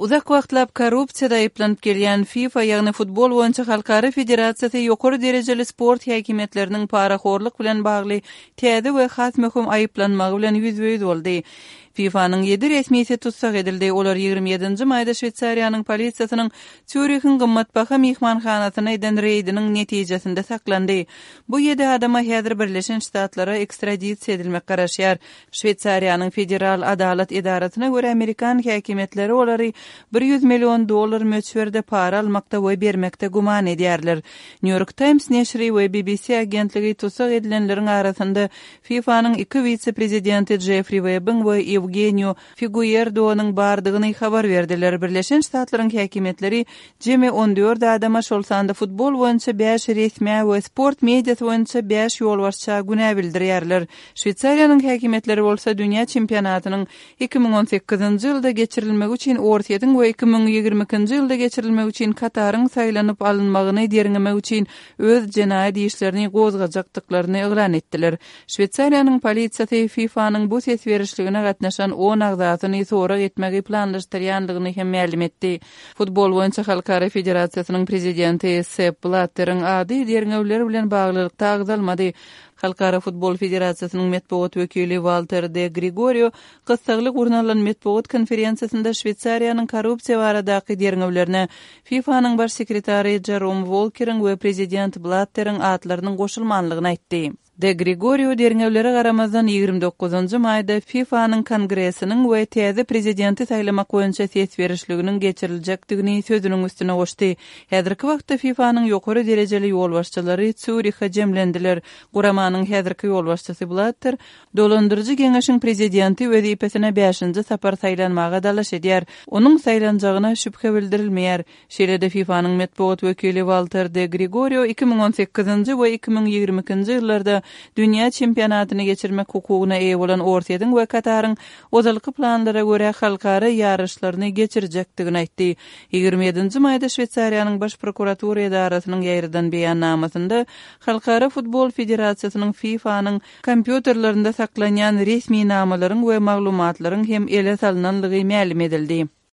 Uzak wagtlap korrupsiyada aýplanıp gelýän FIFA ýagny futbol boýunça halkary federatsiýasy ýokary derejeli sport häkimetleriniň paraxorlyk bilen bagly täze we has möhüm aýplanmagy bilen ýüzbeýüz boldy. FIFA'nın 7 resmiyeti tutsak edildi. Olar 27. mayda Şveýtsariýanyň polisiýasynyň Zürich'in gymmatbaha mihmanhanasyna eden reýdiniň netijesinde saklandy. Bu 7 adama häzir Birleşen Ştatlara ekstradisiýa edilmek garaşýar. Şveýtsariýanyň federal adalet idarasyna görä Amerikan häkimetleri olary $100 milyon möçberde para almakda we bermekde guman edýärler. New York Times neşri we BBC agentligi tutsak edilenleriň arasynda FIFA'nyň 2 vice-prezidenti Jeffrey Webb'in we Eugenio Figueiredo'nyň bardygyny habar berdiler. Birleşen Ştatlaryň häkimetleri jemi 14 adama şol sanda futbol boýunça 5 resmi we sport mediasy boýunça 5 ýolbaşça güne bildirýärler. Şveýtsariýanyň häkimetleri bolsa dünýä çempionatynyň 2018-nji ýylda geçirilmegi üçin Ortiýadyň we 2022-nji ýylda geçirilmegi üçin Kataryň saýlanyp alynmagyny derňemek üçin öz jenaýat işlerini gozgajakdyklaryny eglan etdiler. Şveýtsariýanyň polisiýasy FIFA'nyň bu ses berişligine gatnaşan 10 agzatyny sorak etmegi planlaşdyrýandygyny hem ma'lum etdi. Futbol boýunça halkary federasiýasynyň prezidenti Sepp Blatter'iň ady derňewler bilen baglylykda agzalmady. Halkara Futbol Federasiýasynyň metbuat wekili Walter de Gregorio gysgalyk urnalan metbuat konferensiýasynda Şveýtsariýanyň korrupsiýa baradaky derňewlerine FIFA'nyň baş sekretary Jerome Walker'iň we prezident Blatter'iň atlarynyň goşulmanlygyny aýtdy. De Gregorio derňewlere garamazdan 29-njy maýda FIFA'nyň kongresiniň we täze prezidenti saýlamak boýunça ses berişliginiň geçiriljakdygyny sözüniň üstüne goşdy. Häzirki wagtda FIFA'nyň ýokary derejeli ýolbaşçylary Zürich'e jemlendiler. Guramanyň häzirki ýolbaşçysy Blatter, dolandyrjy geňeşiň prezidenti wezipesine 5-nji sapar saýlanmaga dalaş edýär. Onuň saýlanjagyna şüphe bildirilmeýär. Şeýlede FIFA'nyň metbuat wekili Walter de Gregorio 2018-nji we 2022-nji ýyllarda dünýä çempionatyny geçirmek hukugyna eýe bolan Ortiýadyň we Kataryň ozalky planlara görä halkary ýarışlaryny geçirjekdigini aýtdy. 27-nji maýda Şveýtsariýanyň baş prokuratura idarasynyň ýerden beýannamasynda Halkara Futbol Federasiýasynyň FIFA'nyň kompýuterlerinde saklanýan resmi namalaryň we maglumatlaryň hem ele salynanlygy ma'lum edildi.